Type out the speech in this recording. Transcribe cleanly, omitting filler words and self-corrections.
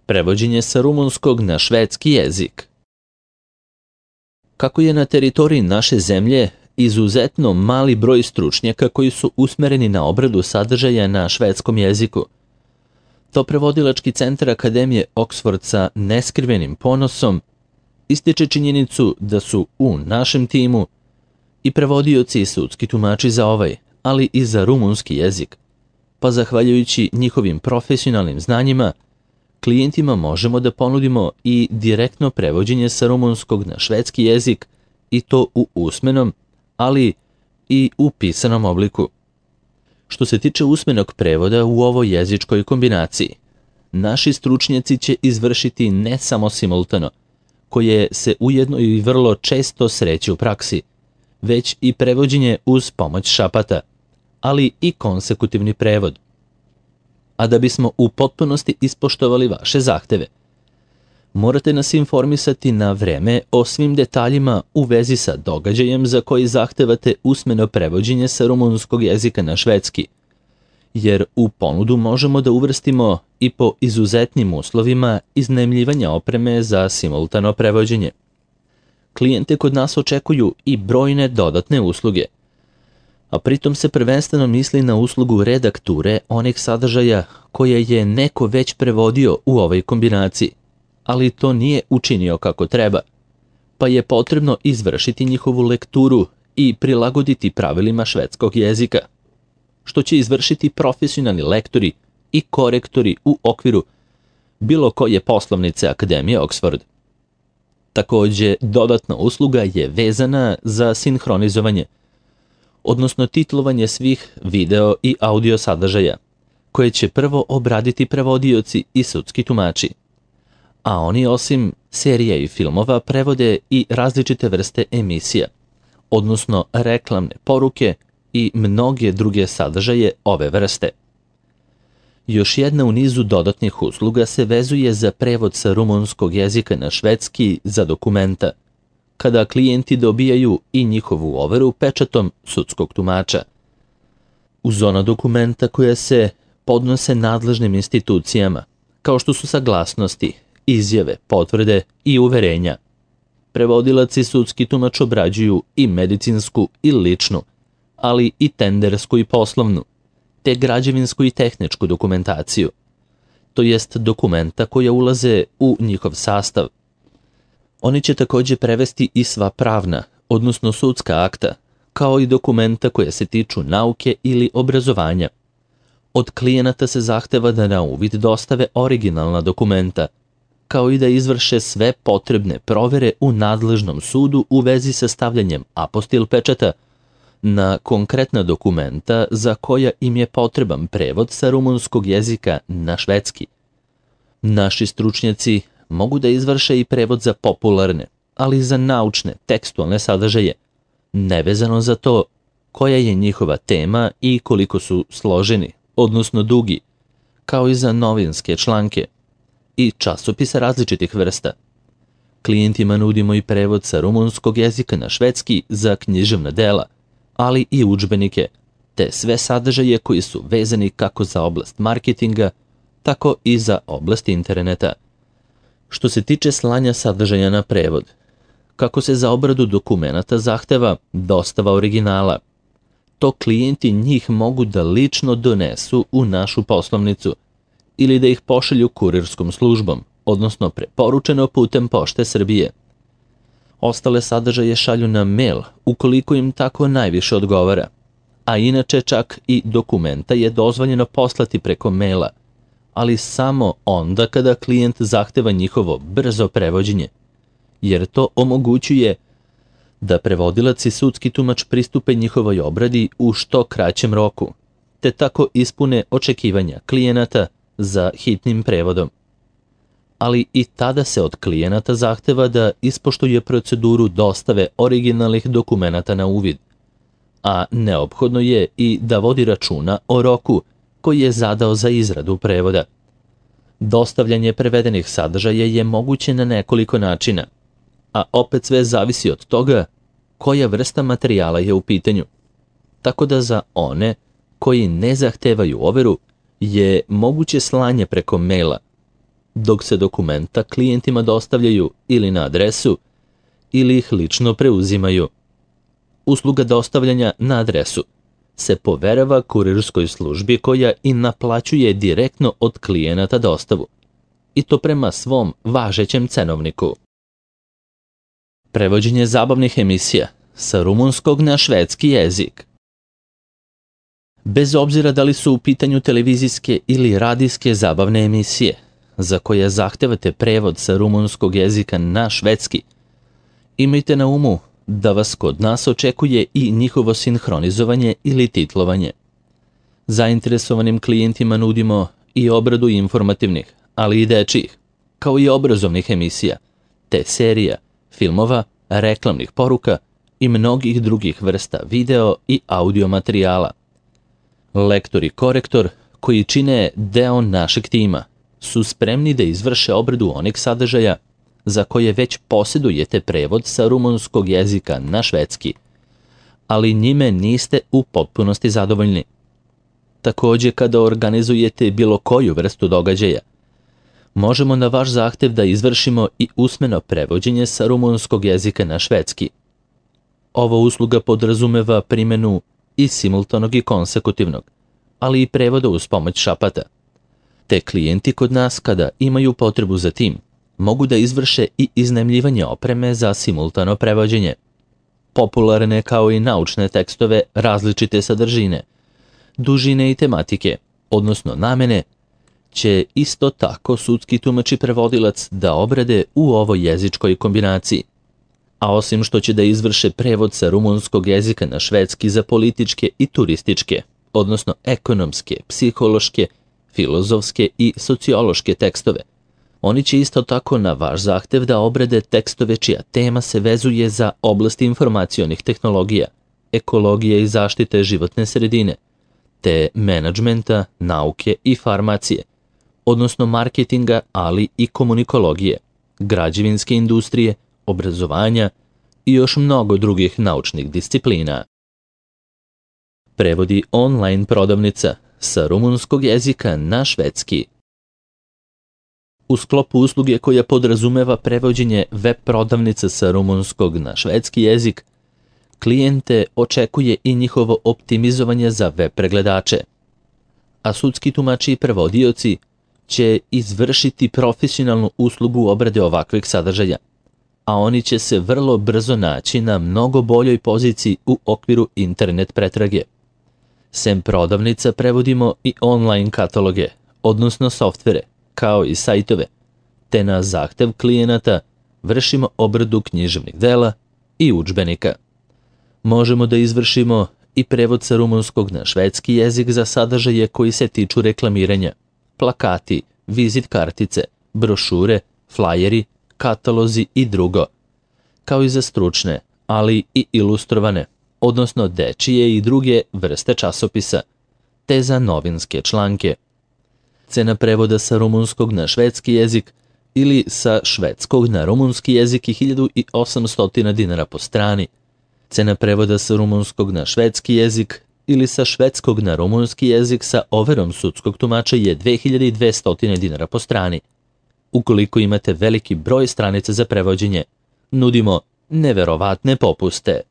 Prevođenje sa rumunskog na švedski jezik. Kako je na teritoriji naše zemlje izuzetno mali broj stručnjaka koji su usmereni na obradu sadržaja na švedskom jeziku, to prevodilački centar Akademije Oxford sa neskrivenim ponosom ističe činjenicu da su u našem timu i prevodioci i sudski tumači za ovaj, ali i za rumunski jezik, pa zahvaljujući njihovim profesionalnim znanjima, klijentima možemo da ponudimo i direktno prevođenje sa rumunskog na švedski jezik i to u usmenom, ali i u pisanom obliku. Što se tiče usmenog prevoda u ovoj jezičkoj kombinaciji, naši stručnjaci će izvršiti ne samo simultano, koje se ujedno i vrlo često sreće u praksi, već i prevođenje uz pomoć šapata, ali i konsekutivni prevod. A da bismo u potpunosti ispoštovali vaše zahteve, morate nas informisati na vreme o svim detaljima u vezi sa događajem za koji zahtevate usmeno prevođenje sa rumunskog jezika na švedski, jer u ponudu možemo da uvrstimo i po izuzetnim uslovima iznajmljivanja opreme za simultano prevođenje. Klijente kod nas očekuju i brojne dodatne usluge, a pritom se prvenstveno misli na uslugu redakture onih sadržaja koje je neko već prevodio u ovoj kombinaciji, ali to nije učinio kako treba, pa je potrebno izvršiti njihovu lekturu i prilagoditi pravilima švedskog jezika, što će izvršiti profesionalni lektori i korektori u okviru bilo koje poslovnice Akademije Oxford. Takođe, dodatna usluga je vezana za sinhronizovanje, odnosno titlovanje svih video i audio sadržaja, koje će prvo obraditi prevodioci i sudski tumači, a oni osim serija i filmova prevode i različite vrste emisija, odnosno reklamne poruke i mnoge druge sadržaje ove vrste. Još jedna u nizu dodatnih usluga se vezuje za prevod sa rumunskog jezika na švedski za dokumenta, kada klijenti dobijaju i njihovu overu pečatom sudskog tumača. Uz ona dokumenta koja se podnose nadležnim institucijama, kao što su saglasnosti, izjave, potvrde i uverenja, prevodilac i sudski tumač obrađuju i medicinsku i ličnu, ali i tendersku i poslovnu, te građevinsku i tehničku dokumentaciju, to jest dokumenta koja ulaze u njihov sastav. Oni će takođe prevesti i sva pravna, odnosno sudska akta, kao i dokumenta koja se tiču nauke ili obrazovanja. Od klijenata se zahteva da na uvid dostave originalna dokumenta, kao i da izvrše sve potrebne provere u nadležnom sudu u vezi sa stavljanjem apostil pečata na konkretna dokumenta za koja im je potreban prevod sa rumunskog jezika na švedski. Naši stručnjaci mogu da izvrše i prevod za popularne, ali i za naučne, tekstualne sadržaje, nevezano za to koja je njihova tema i koliko su složeni, odnosno dugi, kao i za novinske članke i časopise različitih vrsta. Klijentima nudimo i prevod sa rumunskog jezika na švedski za književna dela, ali i udžbenike, te sve sadržaje koji su vezani kako za oblast marketinga, tako i za oblast interneta. Što se tiče slanja sadržaja na prevod, kako se za obradu dokumenata zahteva dostava originala, to klijenti njih mogu da lično donesu u našu poslovnicu ili da ih pošalju kurirskom službom, odnosno preporučeno putem Pošte Srbije. Ostale sadržaje šalju na mail ukoliko im tako najviše odgovara, a inače čak i dokumenta je dozvoljeno poslati preko maila, ali samo onda kada klijent zahteva njihovo brzo prevođenje, jer to omogućuje da prevodilac i sudski tumač pristupe njihovoj obradi u što kraćem roku, te tako ispune očekivanja klijenata za hitnim prevodom. Ali i tada se od klijenata zahteva da ispoštuje proceduru dostave originalnih dokumenata na uvid, a neophodno je i da vodi računa o roku koji je zadao za izradu prevoda. Dostavljanje prevedenih sadržaja je moguće na nekoliko načina, a opet sve zavisi od toga koja vrsta materijala je u pitanju. Tako da za one koji ne zahtevaju overu je moguće slanje preko maila, dok se dokumenta klijentima dostavljaju ili na adresu ili ih lično preuzimaju. Usluga dostavljanja na adresu se poverava kurirskoj službi koja i naplaćuje direktno od klijenata dostavu, i to prema svom važećem cenovniku. Prevođenje zabavnih emisija sa rumunskog na švedski jezik. Bez obzira da li su u pitanju televizijske ili radijske zabavne emisije, za koje zahtevate prevod sa rumunskog jezika na švedski, imajte na umu da vas kod nas očekuje i njihovo sinhronizovanje ili titlovanje. Zainteresovanim klijentima nudimo i obradu informativnih, ali i dečijih, kao i obrazovnih emisija, te serija, filmova, reklamnih poruka i mnogih drugih vrsta video i audio materijala. Lektor i korektor, koji čine deo našeg tima, su spremni da izvrše obradu onih sadržaja za koje već posjedujete prevod sa rumunskog jezika na švedski, ali njime niste u potpunosti zadovoljni. Također, kada organizujete bilo koju vrstu događaja, možemo na vaš zahtev da izvršimo i usmeno prevođenje sa rumunskog jezika na švedski. Ova usluga podrazumeva primjenu i simultanog i konsekutivnog, ali i prevoda uz pomoć šapata. Te klijenti kod nas, kada imaju potrebu za tim, mogu da izvrše i iznajmljivanje opreme za simultano prevođenje. Popularne kao i naučne tekstove različite sadržine, dužine i tematike, odnosno namene, će isto tako sudski tumač i prevodilac da obrade u ovoj jezičkoj kombinaciji. A osim što će da izvrše prevod sa rumunskog jezika na švedski za političke i turističke, odnosno ekonomske, psihološke, filozofske i sociološke tekstove, oni će isto tako na vaš zahtev da obrade tekstove čija tema se vezuje za oblast informacionih tehnologija, ekologije i zaštite životne sredine, te menadžmenta, nauke i farmacije, odnosno marketinga, ali i komunikologije, građevinske industrije, obrazovanja i još mnogo drugih naučnih disciplina. Prevodi online prodavnica sa rumunskog jezika na švedski. U sklopu usluge koja podrazumeva prevođenje web prodavnica sa rumunskog na švedski jezik, klijente očekuje i njihovo optimizovanje za web pregledače, a sudski tumači i prevodioci će izvršiti profesionalnu uslugu obrade ovakvih sadržaja, a oni će se vrlo brzo naći na mnogo boljoj poziciji u okviru internet pretrage. Sem prodavnica prevodimo i online kataloge, odnosno softvere, kao i sajtove, te na zahtev klijenata vršimo obradu književnih dela i udžbenika. Možemo da izvršimo i prevod sa rumunskog na švedski jezik za sadržaje koji se tiču reklamiranja, plakati, vizit kartice, brošure, flajeri, katalozi i drugo, kao i za stručne, ali i ilustrovane, odnosno dečije i druge vrste časopisa, te za novinske članke. Cena prevoda sa rumunskog na švedski jezik ili sa švedskog na rumunski jezik je 1800 dinara po strani. Cena prevoda sa rumunskog na švedski jezik ili sa švedskog na rumunski jezik sa overom sudskog tumača je 2200 dinara po strani. Ukoliko imate veliki broj stranica za prevođenje, nudimo neverovatne popuste.